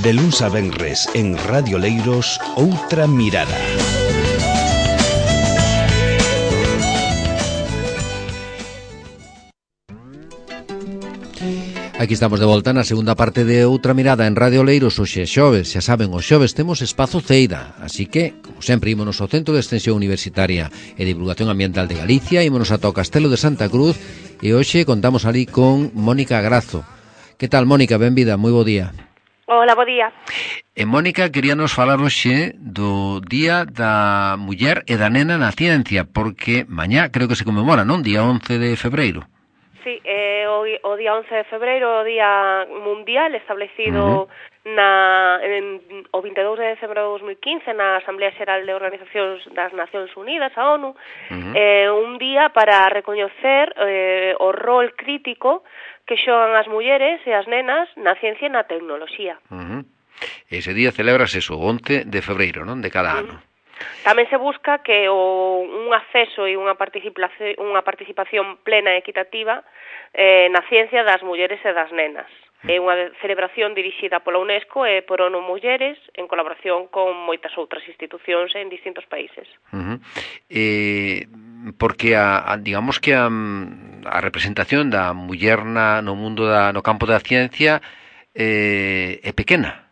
De luns a venres en Radio Leiros, Outra Mirada. Aquí estamos de volta na segunda parte de Outra Mirada en Radio Leiros. Hoxe é xoves, xa saben, os xoves temos espazo Ceida, así que, como sempre, ímonos ao Centro de Extensión Universitaria e Divulgación Ambiental de Galicia, ímonos ata o Castelo de Santa Cruz e hoxe contamos ali con Mónica Grazo. Que tal, Mónica? Benvida, moi bo día. Hola, bo día. E Mónica queríanos falar hoxe do Día da Muller e da Nena na Ciencia, porque mañá creo que se conmemora, non? Día 11 de febreiro. Sí, o día 11 de febreiro, o día mundial establecido o 22 de decembro de 2015 na Asamblea Xeral de Organizacións das Nacións Unidas, a ONU, un día para recoñecer o rol crítico que xogan as mulleres e as nenas na ciencia e na tecnoloxía. Ese día celebras eso, o 11 de febreiro, non? De cada ano. Tamén se busca que un acceso e unha participación plena e equitativa na ciencia das mulleres e das nenas. É unha celebración dirixida pola UNESCO e por ONU Mulleres en colaboración con moitas outras institucións en distintos países. Porque digamos que a representación da muller no mundo no campo da ciencia é pequena.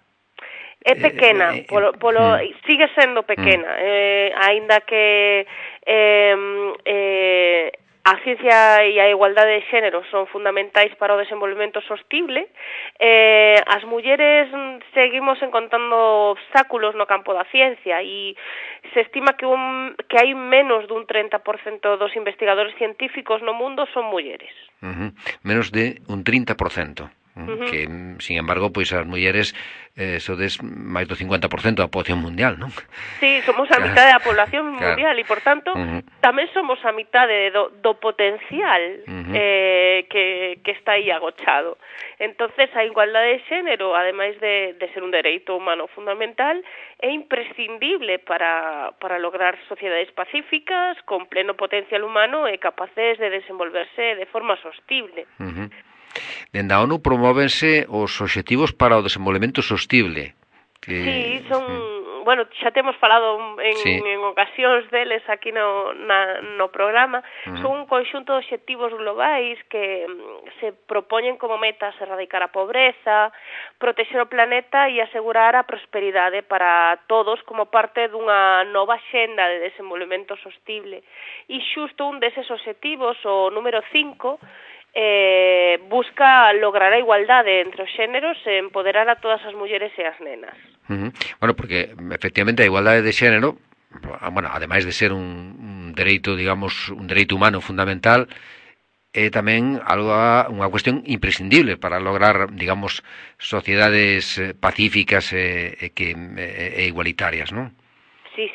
É pequena, sigue sendo pequena, aínda que a ciencia e a igualdade de xénero son fundamentais para o desenvolvemento sostible, as mulleres seguimos encontrando obstáculos no campo da ciencia e se estima que hai menos dun 30% dos investigadores científicos no mundo son mulleres. Menos de un 30%. Que, sin embargo, pois as mulleres sodes máis do 50% da poboación mundial, non? Sí, somos a mitad da población mundial e, por tanto, tamén somos a mitade do potencial que está aí agochado. Entonces, a igualdade de xénero, ademais de ser un dereito humano fundamental, é imprescindible para lograr sociedades pacíficas con pleno potencial humano e capaces de desenvolverse de forma sostible. Dende a ONU promóvense os obxectivos para o desenvolvemento sostible. Sí, son, bueno, xa temos falado en ocasións deles aquí no programa. Son un conxunto de obxectivos globais que se propoñen como metas erradicar a pobreza, protexer o planeta e asegurar a prosperidade para todos como parte dunha nova xenda de desenvolvemento sostible. E xusto un deses obxectivos, o número 5, busca lograr a igualdade entre os xéneros e empoderar a todas as mulleres e as nenas. Bueno, porque efectivamente a igualdade de xénero, bueno, ademais de ser un dereito, digamos, un dereito humano fundamental, é tamén unha cuestión imprescindible para lograr, digamos, sociedades pacíficas e igualitarias, non? Sí.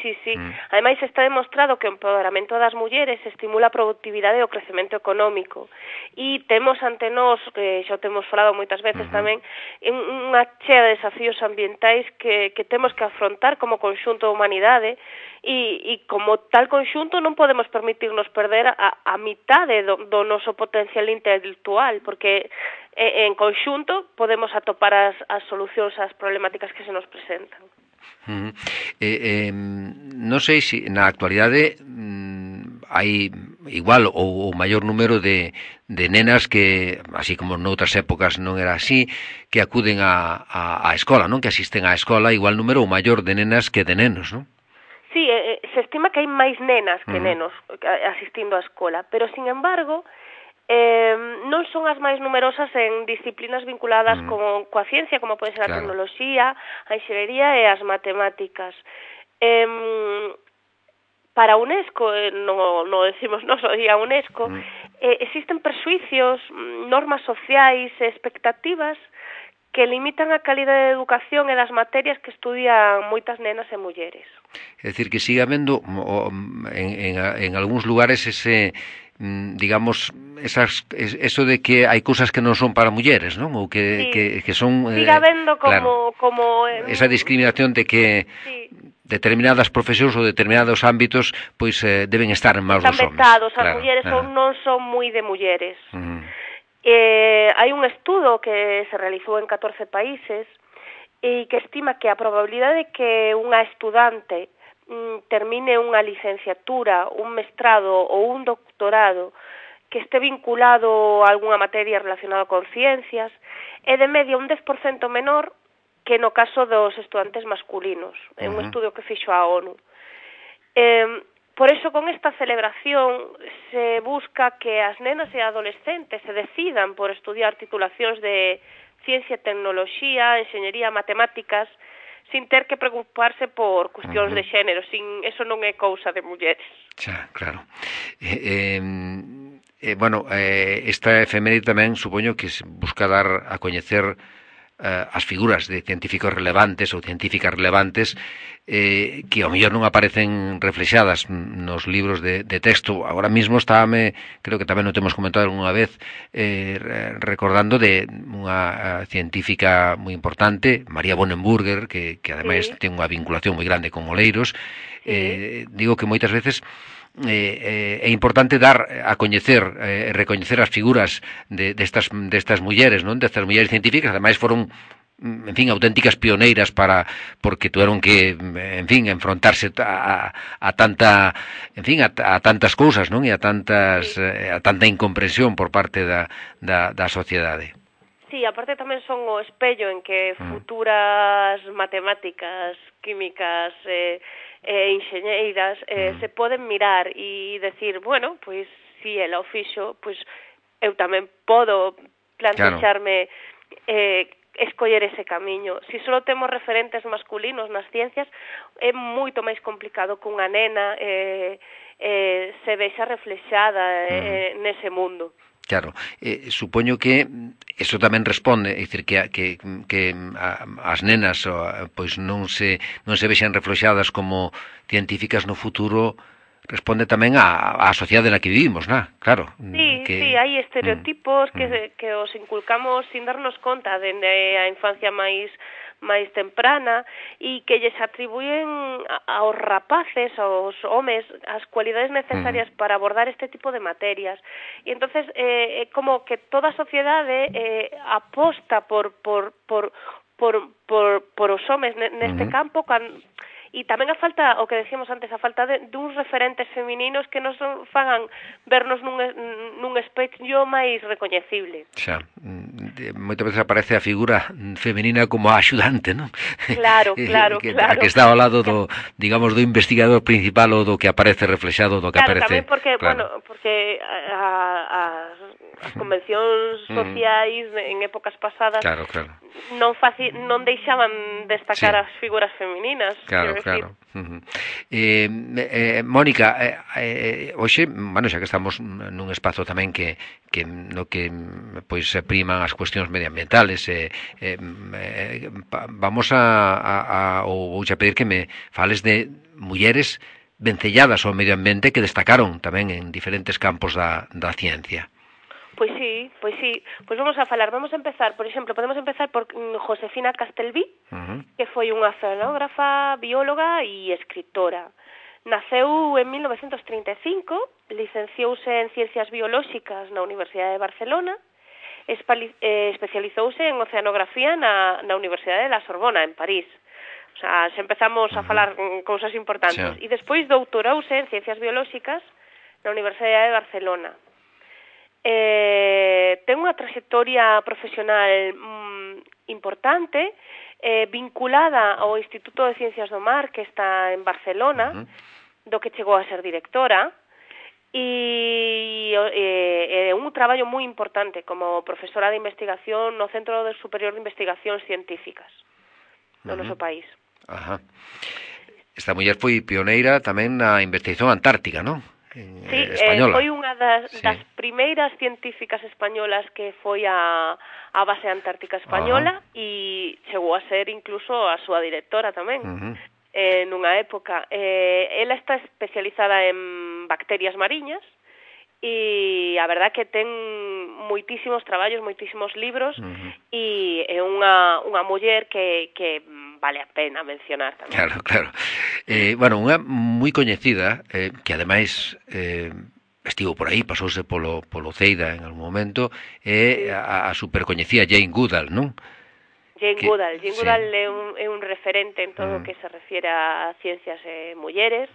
Ademais, está demostrado que o empoderamento das mulleres estimula a productividade e o crecemento económico. E temos ante nós, que xa temos falado moitas veces tamén, unha chea de desafíos ambientais que temos que afrontar como conxunto da humanidade e como tal conxunto non podemos permitirnos perder a mitade do noso potencial intelectual, porque en conxunto podemos atopar as solucións ás problemáticas que se nos presentan. Non sei se na actualidade hai igual ou maior número de nenas que, así como noutras épocas non era así, que acuden á escola, non? Que asisten á escola, igual número ou maior de nenas que de nenos, non? Sí, se estima que hai máis nenas que nenos asistindo á escola, pero, sin embargo, non son as máis numerosas en disciplinas vinculadas coa ciencia, como pode ser a tecnoloxía, a enxeñería e as matemáticas. Para a UNESCO, non decimos nós, o día UNESCO, existen presuicios, normas sociais e expectativas que limitan a calidade de educación e das materias que estudian moitas nenas e mulleres. É dicir, que siga habendo en algúns lugares ese, digamos, eso de que hai cousas que non son para mulleres, non? Ou que son... Siga habendo como esa discriminación de que determinadas profesións ou determinados ámbitos pois deben estar en maus dos homes. Están vetados, as mulleres non son moi de mulleres. Hai un estudo que se realizou en 14 países e que estima que a probabilidade de que unha estudante termine unha licenciatura, un mestrado ou un doctorado que este vinculado a algunha materia relacionada con ciencias é de media un 10% menor que no caso dos estudantes masculinos. É un estudio que fixo a ONU. Por eso, con esta celebración se busca que as nenas e adolescentes se decidan por estudiar titulacións de ciencia, tecnoloxía, enxeñería, matemáticas, sin ter que preocuparse por cuestións de xénero, eso non é cousa de mulleres. Xa, claro. Bueno, esta efeméride tamén supoño que busca dar a coñecer as figuras de científicos relevantes ou científicas relevantes que ao mellor non aparecen reflexadas nos libros de texto. Agora mesmo creo que tamén o temos comentado algunha vez, recordando de unha científica moi importante, María Bonenburger, que ademais ten unha vinculación moi grande con Oleiros. Digo que moitas veces é importante dar a coñecer, recoñecer as figuras destas mulleres, non? Destas mulleres científicas, ademais foron, en fin, auténticas pioneiras porque tuvieron que, en fin, enfrontarse a tantas cousas, non? E a tanta incomprensión por parte da sociedade. Sí, aparte tamén son o espello en que futuras matemáticas, químicas, enxeñeiras se poden mirar e decir, bueno, pois si ela o fixo, pois eu tamén podo plantexarme escoller ese camiño. Si só temos referentes masculinos nas ciencias, é moito máis complicado que unha nena se vexa reflexada nese mundo. Claro, supoño que eso tamén responde, é dicir, que as nenas pois non se vexan reflexadas como científicas no futuro, responde tamén á sociedade na que vivimos, non? Claro. Sí, hai estereotipos que os inculcamos sin darnos conta dende a infancia máis temprana e que lles atribuyen aos rapaces, aos homes, as cualidades necesarias para abordar este tipo de materias. E entonces é como que toda a sociedade aposta por os homes neste campo, e tamén a falta, o que decíamos antes, a falta duns referentes femininos que nos fagan vernos nun espello máis recoñecible. Xa, moitas veces aparece a figura femenina como a axudante, non? Claro. Que está ao lado do, digamos, do investigador principal ou do que aparece reflexado do que aparece. Tamén porque, porque as convencións sociais en épocas pasadas non deixaban destacar as figuras femininas. Claro. Mónica, hoxe, bueno, xa que estamos nun espazo tamén no que pois se priman as cuestións medioambientales, vamos ou vouche pedir que me fales de mulleres vencelladas ao medio ambiente que destacaron tamén en diferentes campos da ciencia. Pois sí. Pois vamos a falar. Vamos a empezar, por exemplo, podemos empezar por Josefina Castelví, que foi unha oceanógrafa, bióloga e escritora. Naceu en 1935, licenciouse en Ciencias Biolóxicas na Universidade de Barcelona, especializouse en oceanografía na Universidade de la Sorbona, en París. O sea, se empezamos a falar cousas importantes. E despois doutorouse en Ciencias Biolóxicas na Universidade de Barcelona. Ten unha trayectoria profesional importante, vinculada ao Instituto de Ciencias do Mar, que está en Barcelona, do que chegou a ser directora, e é un traballo moi importante como profesora de investigación no Centro Superior de Investigacións Científicas no noso país. Esta muller foi pioneira tamén na investigación antártica, non? Sí, foi unha das primeiras científicas españolas que foi a base antártica española e chegou a ser incluso a súa directora tamén nunha época. Ela está especializada en bacterias mariñas e a verdad que ten moitísimos traballos, moitísimos libros e é unha muller que vale a pena mencionar tamén. Claro. Bueno, unha moi coñecida, que ademais estivo por aí, pasouse polo Ceida en algún momento, é a supercoñecida Jane Goodall, non? Jane Goodall. Jane Goodall é un referente en todo o que se refiere a ciencias mulleres.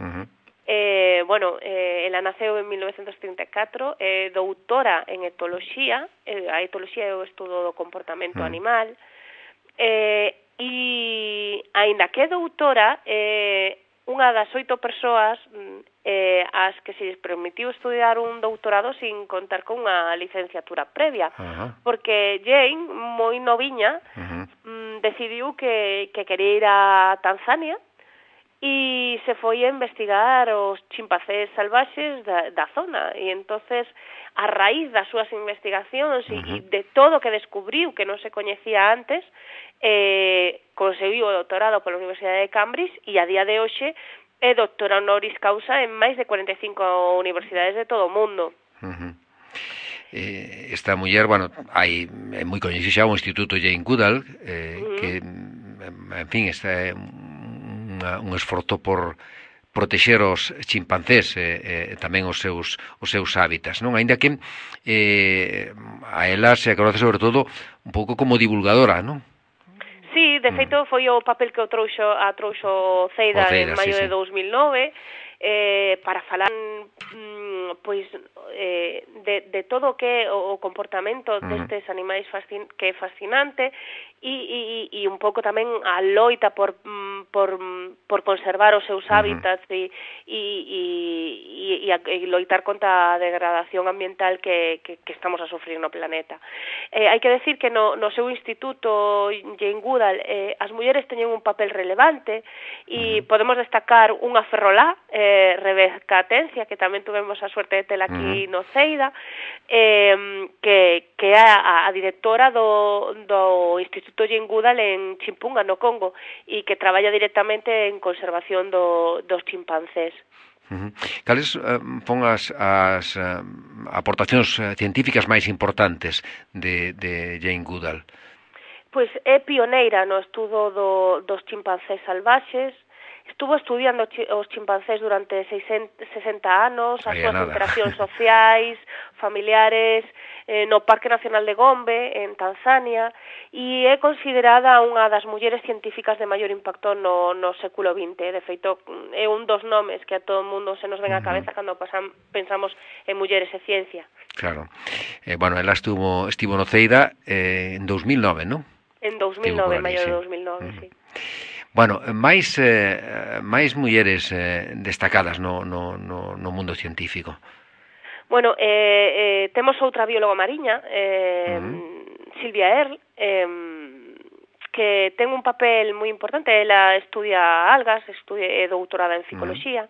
Ela naceu en 1934, doutora en etoloxía. A etoloxía é o estudo do comportamento animal. E, aínda que é doutora, unha das 8 persoas as que se lles permitiu estudiar un doutorado sin contar con unha licenciatura previa, porque Jane, moi noviña, decidiu que quería ir a Tanzania e se foi a investigar os chimpancés salvaxes da zona, e entonces a raíz das súas investigacións e de todo o que descubriu que non se coñecía antes, conseguiu o doutorado pola Universidade de Cambridge e a día de hoxe é doctora honoris causa en máis de 45 universidades de todo o mundo. Esta muller, hai moi coñecido xa o Instituto Jane Goodall, que, en fin, está un esforzo por protexer os chimpancés e tamén os seus hábitats, non? Aínda que a ela se conoce sobre todo un pouco como divulgadora, non? Sí, de feito foi o papel que a trouxo Ceida en maio de 2009 para falar de todo o que é o comportamento destes animais que é fascinante e un pouco tamén a loita por conservar os seus hábitats e loitar contra a degradación ambiental que estamos a sufrir no planeta. Hai que decir que no seu instituto Jane Goodall as mulleres teñen un papel relevante e podemos destacar unha ferrolá, Rebeca Atencia, que tamén tuvemos a suerte de tela aquí no Ceida, que é a directora do Instituto Jane Goodall en Chimpunga, no Congo, e que traballa directamente en conservación dos chimpancés. Cales son as aportacións científicas máis importantes de Jane Goodall? Pois é pioneira no estudo dos chimpancés salvaxes. Estuvo estudiando os chimpancés durante 60 anos, as súas interaccións sociais, familiares, no Parque Nacional de Gombe, en Tanzania, e é considerada unha das mulleres científicas de maior impacto no século XX. De feito, é un dos nomes que a todo o mundo se nos ven á cabeza cando pensamos en mulleres e ciencia. Claro. Ela estivo no Ceida en 2009, non? En 2009, en maio de 2009, sí. Máis mulleres destacadas no mundo científico. Temos outra bióloga mariña, Silvia Earle, que ten un papel moi importante. Ela estudia algas, é doutorada en psicoloxía,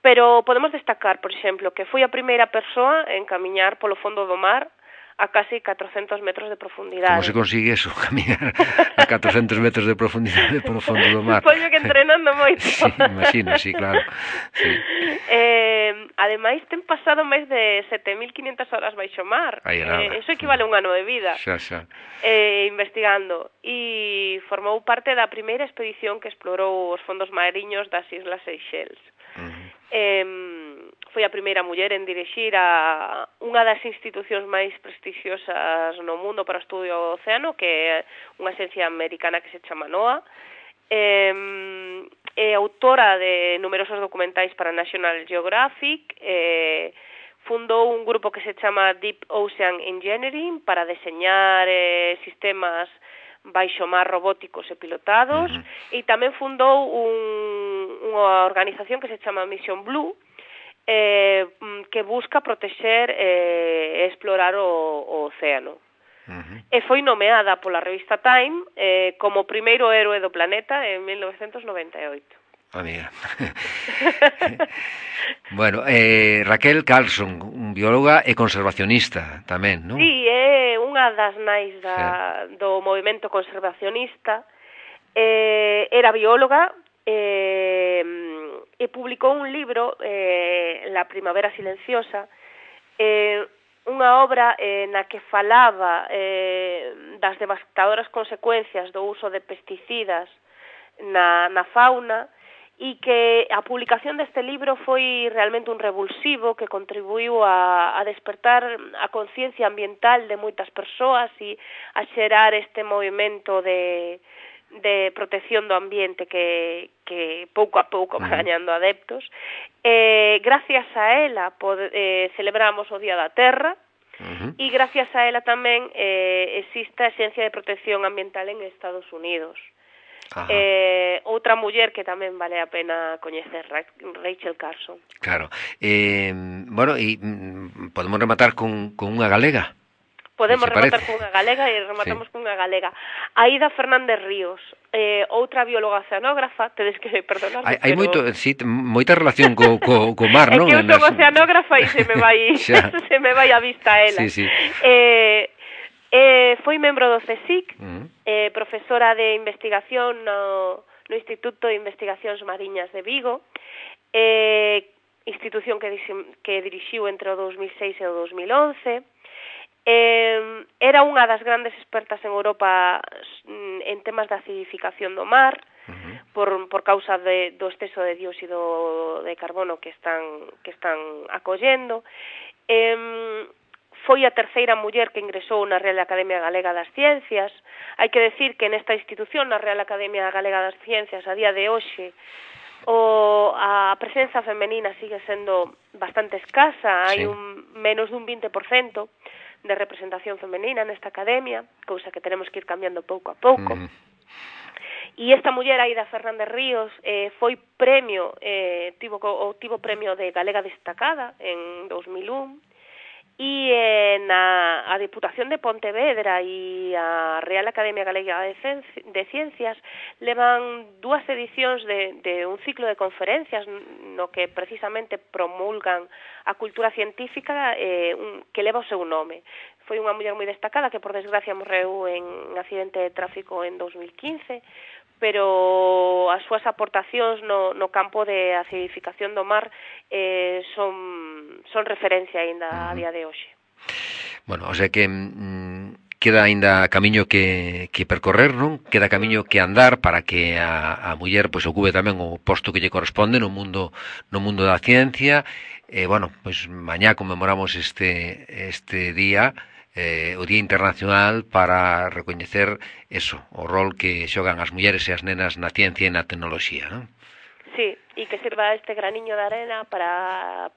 pero podemos destacar, por exemplo, que foi a primeira persoa en camiñar polo fondo do mar a casi 400 metros de profundidade. Como se consigue eso, caminar a 400 metros de profundidade polo fondo do mar? Supoño que entrenando moito. Sí, imagino, sí, claro. Sí. Ademais, ten pasado máis de 7.500 horas baixo mar. Eso equivale a un ano de vida. Xa. Investigando. E formou parte da primeira expedición que explorou os fondos mariños das Islas Seychelles. Foi a primeira muller en dirixir a unha das institucións máis prestixiosas no mundo para o estudio do océano, que é unha axencia americana que se chama NOAA. É autora de numerosos documentais para National Geographic, fundou un grupo que se chama Deep Ocean Engineering para deseñar sistemas baixo mar robóticos e pilotados, e tamén fundou unha organización que se chama Mission Blue, que busca protexer e explorar o océano. E foi nomeada pola revista Time como primeiro héroe do planeta en 1998. Amiga. Raquel Carlson, bióloga e conservacionista tamén, non? Sí, é unha das nais do movimento conservacionista. Era bióloga e publicou un libro, La primavera silenciosa, unha obra na que falaba das devastadoras consecuencias do uso de pesticidas na fauna e que a publicación deste libro foi realmente un revulsivo que contribuiu a despertar a conciencia ambiental de moitas persoas e a xerar este movimento de protección do ambiente que pouco a pouco va gañando adeptos. Gracias a ela celebramos o Día da Terra, e gracias a ela tamén existe a Axencia de Protección Ambiental en Estados Unidos. Outra muller que tamén vale a pena coñecer, Rachel Carson. Claro. Bueno, e podemos rematar con unha galega. Podemos rematar con unha galega e rematamos con unha galega. Aida Fernández Ríos, outra bióloga oceanógrafa, tedes que perdonarme, hai moita relación co mar, non? É que eu son oceanógrafa e se me vai a vista a ela. Sí. Foi membro do CSIC, profesora de investigación no Instituto de Investigacións Mariñas de Vigo, institución que dirixiu entre o 2006 e o 2011. Era unha das grandes expertas en Europa en temas de acidificación do mar, por causa do exceso de dióxido de carbono que están acollendo. Foi a terceira muller que ingresou na Real Academia Galega das Ciencias. Hai que decir que nesta institución, na Real Academia Galega das Ciencias, a día de hoxe, a presenza femenina sigue sendo bastante escasa. Hai menos dun 20% de representación femenina nesta academia, cousa que tenemos que ir cambiando pouco a pouco. E esta muller, Aida Fernández Ríos, foi premio, tivo premio de Galega Destacada en 2001, e a Diputación de Pontevedra e a Real Academia Galega de Ciencias levan 2 edicións de un ciclo de conferencias no que precisamente promulgan a cultura científica que leva o seu nome. Foi unha muller moi destacada que por desgracia morreu en un accidente de tráfico en 2015, pero as súas aportacións no campo de acidificación do mar son referencia aínda a día de hoxe. Bueno, o sea que queda aínda camiño que percorrer, non? Queda camiño que andar para que a muller pois ocupe tamén o posto que lle corresponde no mundo da ciencia. Bueno, pois mañá conmemoramos este día, o Día Internacional para recoñecer eso, o rol que xogan as mulleres e as nenas na ciencia e na tecnoloxía, non? Sí, e que sirva este graniño de arena para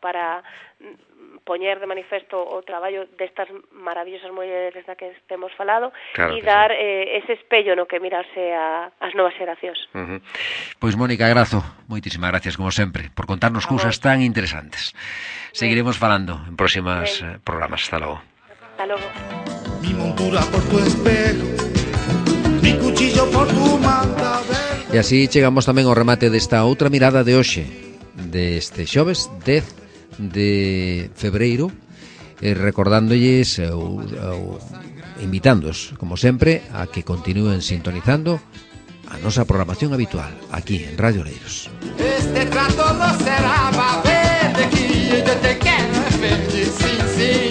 poñer de manifesto o traballo destas maravillosas mulleres da que temos falado, claro, e dar ese espello no que mirarse ás novas xeracións. Pois Mónica Grazo, moitísimas gracias como sempre por contarnos cousas tan interesantes. Seguiremos falando en próximas programas. Hasta logo. Hasta logo. Mi montura por tu espejo, mi cuchillo por tu manta verde. E así chegamos tamén ao remate desta outra mirada de hoxe, deste xoves 10 de febreiro, recordándolles invitándoos, como sempre, a que continúen sintonizando a nosa programación habitual aquí en Radio Leiros. Este trato no será verde, que yo te quero verde, sí, sí.